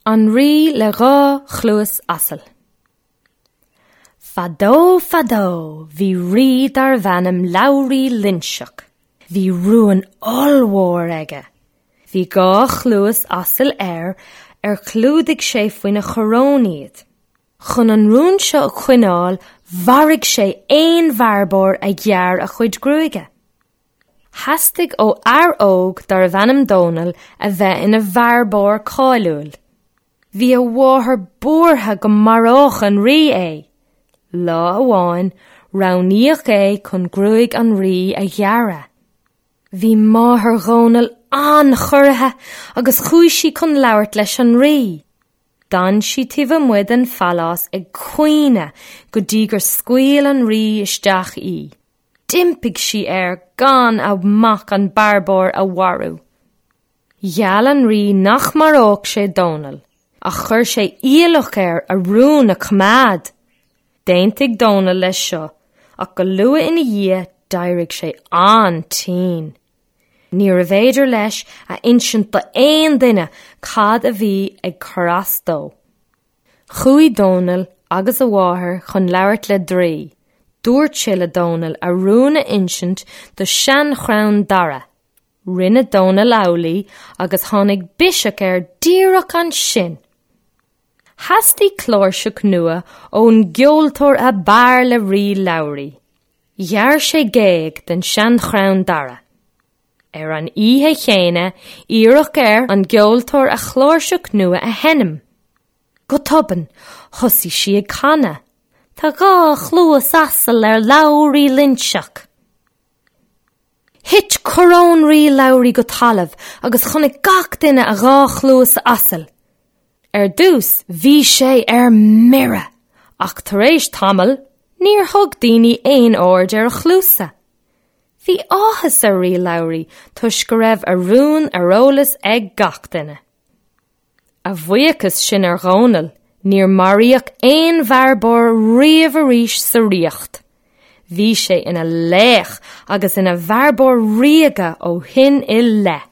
An Rí le Dha Chluas Asail. Fadó fadó bhí rí darbh ainm Labhraí Loinseach. Bhí rún ollmhór aige. Bhí dha chluas asail air ar chlúdaigh sé faoina choróin iad. Chun an rún seo a choinneáil mharaigh sé aon bhearbóir a ghearr a chuid gruaige. Theastaigh ó fhear óg darbh ainm Dónall a bheith ina bhearbóir cáiliúil. Bhí a mháthair buartha go maródh an rí é. Lá amháin, roghnaíodh é chun gruaig an rí a ghearradh. Bhí máthair Dhónaill an-chorraithe agus chuaigh sí chun labhairt leis an rí. D'fhan sí taobh amuigh den phalás ag caoineadh go dtí gur scaoil an rí isteach í. D'impigh sí air gan a mac an bearbóir a mharú. Gheall an rí nach maródh sé Dónall, ach chuir sé iallach air a rún a choimeád. D'aontaigh Dónall leis seo, ach go luath ina dhiaidh d'éirigh sé an-tinn. Níorbh fhéidir leis a insint d'aon duine cad a bhí ag cur as dó. Chuaigh Dónall agus a mháthair chun labhairt le draoi. Dúirt sé le Dónall a rún a insint do sheanchrann dara. Rinne Dónall amhlaidh agus tháinig biseach air díreach ansin. Theastaigh cláirseach nua ón gceoltóir ab fhearr le Rí Labhraí. Ghearr sé géag den seanchrann dara. Ar an oíche chéanna, iarradh ar an gceoltóir a chláirseach nua a sheinm. Go tobann, thosaigh sí ag canadh, Tá dha chluas asail ar Labhraí Loinseach. Thit coróin Rí Labhraí go talamh agus chonaic gach duine a dhá chluas asail. Ar dtús, bhí sé ar mire, ach tar éis tamaill, níor thug daoine aon aird ar a chluasa. Bhí áthas ar Rí Labhraí toisc go raibh a rún ar eolas ag gach duine. A bhuíochas sin ar Dhónall, níor maraíodh aon bhearbóir riamh arís sa ríocht. Bhí sé ina laoch agus ina bhearbóir ríoga ó shin i leith.